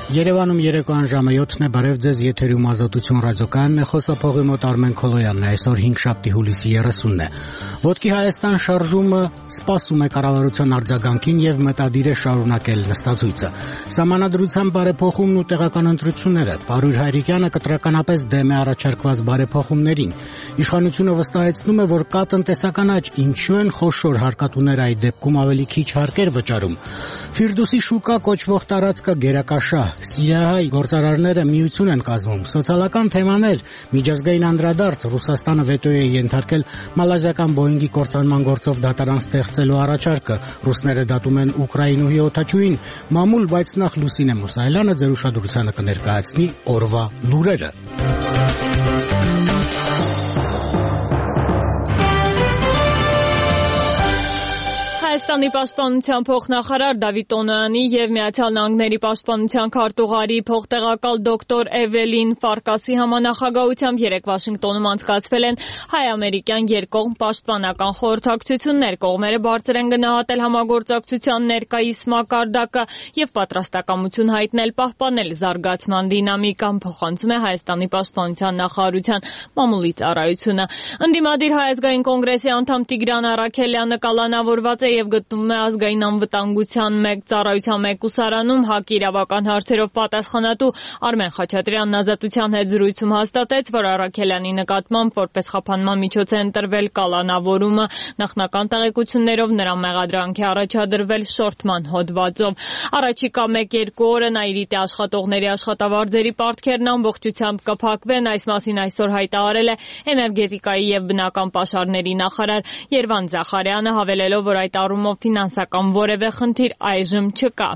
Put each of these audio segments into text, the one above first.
Երևանում երեկոյան ժամը 7-ն է, բարև ձեզ, եթերում Ազատություն ռադիոկայանն է, խոսափողի մոտ Արմեն Քոլոյանն է, այսօր 5-շաբթի հուլիսի 30-ն է։ Ոտքի Հայաստան շարժումը սպասում է կառավարության արձագանքին եւ մտադիր է շարունակել նստածույցը։ Սահմանադրության բարեփոխումն ու տեղական ընտրությունները, Պարույր Հայրիկյանը կտրականապես դեմ է առաջարկված բարեփոխումներին։ Իշխանությունը վստահեցնում է, որ կա տնտեսական աճ, ինչու են խոշոր հարկատուները այդ դեպքում ավելի քիչ հարկեր վճարում։ Ֆիրդուսի շուկա կոչվող տարածքը գերակաշահ, Սիրիահայ գործարարները միություն են կազմում, սոցիալական թեմաներ, միջազգային անդրադարձ, Ռուսաստանը վետո է ենթարկել մալազիական Բոյինգի կործանման գործով դատարան ստեղծելու առաջարկը, ռուսները դատում են Ուկրաինուհի օդաչուին, մամուլ, բայց նախ Լուսինե Մուսայելյանը ձեր ուշադրությանը կներկայացնի օրվա լուրերը։ Հայաստանի պաշտպանության փոխնախարար Դավիթ Տոնոյանի եւ Միացյալ Նահանգների պաշտպանության քարտուղարի փոխտեղակալ դոկտոր Էվելին Ֆարկասի համանախագահությամբ երեկ Վաշինգտոնում անցկացվել են հայ-ամերիկյան երկկողմ պաշտպանական խորհրդակցություններ։ Կողմերը բարձր են գնահատել համագործակցության ներկայիս մակարդակը եւ պատրաստակամություն հայտնել պահպանել զարգացման դինամիկան, փոխանցում է Հայաստանի պաշտպանության նախարարության մամուլի ծառայությունը։ Ընդդիմադիր Հայ ազգային կոնգրեսի անդամ Տիգրան Առաքելյանը կալանավորված է եւ գտնվում է ազգային անվտանգության ծառայության մեկուսարանում, ՀԱԿ իրավական հարցերով պատասխանատու Արմեն Խաչատրյանն Ազատության հետ զրույցում հաստատեց, որ Առաքելյանի նկատմամբ որպես խափանման միջոց է ընտրվել կալանավորումը, նախնական տեղեկություններով նրա մեղադրանք է առաջադրվել շորթման հոդվածով։ Առաջիկա 1-2 օրը Նաիրիտի աշխատողների աշխատավարձերի պարտքերն ամբողջությամբ կփակվեն, այս մասին այսօր հայտարարել է էներգետիկայի եւ բնական պաշարների նախարար Երվանդ Զախարյանը, հավելելով, որ այդ առումով ֆինանսական որևէ խնդիր այժմ չկա։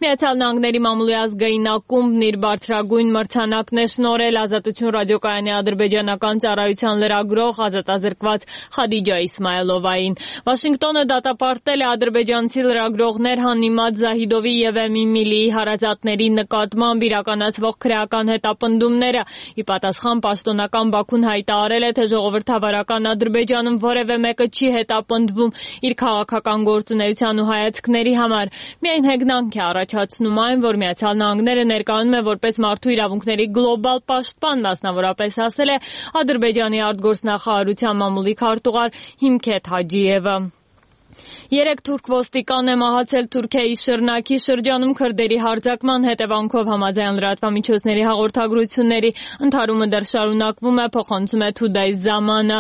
Միացյալ Նահանգների մամուլի ազգային ակումբն իր բարձրագույն մրցանակն է շնորհել Ազատություն ռադիոկայանի ադրբեջանական ծառայության լրագրող ազատազրկված Խադիջա Իսմայելովային։ Վաշինգտոնը դատապարտել է ադրբեջանցի լրագրողներ Հանիմատ Զահիդովի եւ Էմիմիլիի հարազատների նկատմամբ իրականացվող քրեական հետապնդումները։ Ի պատասխան պաշտոնական Բաքուն հայտարարել է, թե ժողովրդավարական Ադրբեջանում որևէ մեկը չի հետապնդվում իր քաղաքական գործունեության ու հայացքների համար։ Միայն հեգնանք է առաջացնում այն, որ Միացյալ Նահանգները ներկայանում է որպես մարդու իրավունքների գլոբալ պաշտպան, մասնավորապես ասել է Ադրբեջանի արտգործնախարարության մամուլի քարտուղար Հիմքեթ Հաջիևը։ 3 թուրք ոստիկան է մահացել Թուրքիայի Շիրնաքի շրջանում քրդերի հարձակման հետևանքով, համաձայն լրատվամիջոցների հաղորդագրությունների ընդհարումը դեռ շարունակվում է, փոխանցում է Թուդայ Զամանը։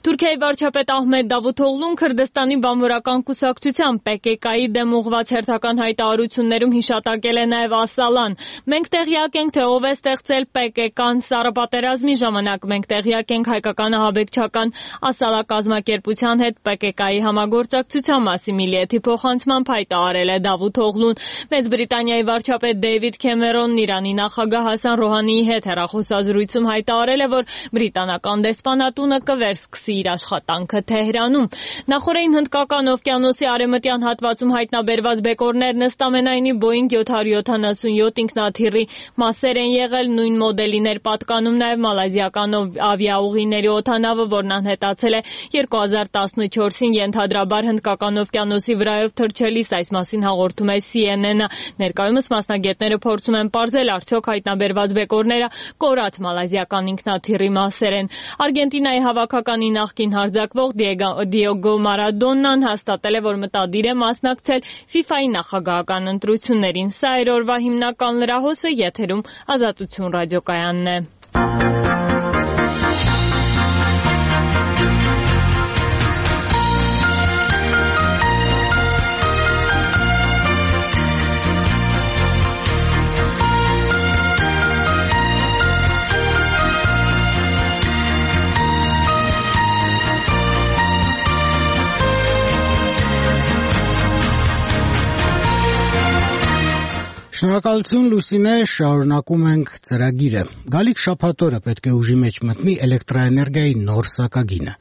Թուրքիայի վարչապետ Ահմեդ Դավութօղլուն Քրդստանի բանվորական կուսակցության PKK-ի դեմ ուղղված հերթական հայտարարություններում հիշատակել է նաև Ասալան։ Մենք տեղյակ ենք, թե ով է ստեղծել PKK-ն սառապատերազմի ժամանակ, մենք տեղյակ ենք հայկական ահաբեկչական Ասալա կազմակերպության հետ PKK-ի համագործակցության մասի Միլիեթի փոխանցմամբ հայտարարել է Դավութօղլուն։ Մեծ Բրիտանիայի վարչապետ Դեյվիդ Քեմերոնն Իրանի նախագահ Հասան Ռոհանիի հետ հեռախոսազրույցում հայտարարել է, որ բրիտանական դեսպանատունը կվերսկսի իր աշխատանքը Թեհրանում։ Նախորդին Հնդկական օվկիանոսի արևմտյան հատվածում հայտնաբերված բեկորներն ըստ ամենայնի Boeing 777 ինքնաթիռի մասեր են եղել, նույն մոդելին էր պատկանում նաև մալազիական ավիաուղիների օդանավը, որն անհետացել է 2014-ին ենթադրաբար Հնդկական օվկիանոսի վրայով թռչելիս, այս մասին հաղորդում է CNN-ը։ Ներկայումս մասնագետները փորձում են պարզել, արդյոք հայտնաբերված բեկորները կորած մալազիական ինքնաթիռի մասեր են։ Արգենտինայի հավաքականի նախկին հարձակվող Դիեգո Մարադոննան հաստատել է, որ մտադիր է մասնակցել FIFA-ի նախագահական ընտրություններին։ Սա էր օրվա հիմնական լրահոսը, եթերում Ազատություն ռադիոկայանն է։ Շնորհակալություն Լուսինե, շարունակում ենք ծրագիրը։ Գալիք շաբաթօրը պետք է ուժի մեջ մտնի էլեկտրաէներգիայի նոր սակագինը։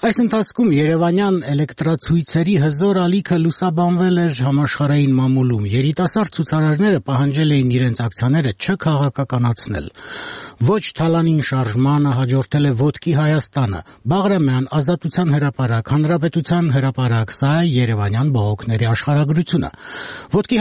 Այս ընթացքում երևանյան էլեկտրացույցերի հզոր ալիքը լուսաբանվել էր համաշխարհային մամուլում։ Երիտասարդ ցուցարարները պահանջել էին իրենց ակցիաները չքաղաքականացնել։ Ոչ թալանին շարժմանը հաջորդել է Ոտքի Հայաստանը, Բաղրամյան, Ազատության հրապարակ, Հանրապետության հրապարակ, սա է երևանյան բողոքների աշխարհագրությունը։ Ոտքի